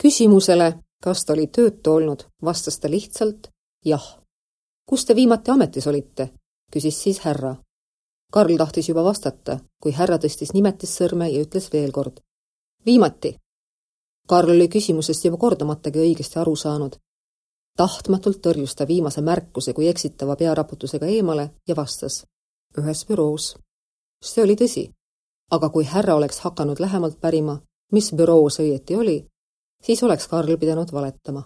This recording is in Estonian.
Küsimusele, kas ta oli töötu olnud, vastas ta lihtsalt jah. Kus te viimati ametis olite? Küsis siis härra. Karl tahtis juba vastata, kui härra tõstis nimetissõrme ja ütles veel kord. Viimati. Karl oli küsimusest juba kordamatagi õigesti aru saanud. Tahtmatult tõrjus ta viimase märkuse kui eksitava pearaputusega eemale ja vastas. Ühes büroos. See oli tõsi. Aga kui härra oleks hakanud lähemalt pärima, mis büroos õieti oli, siis oleks Karl pidanud valetama.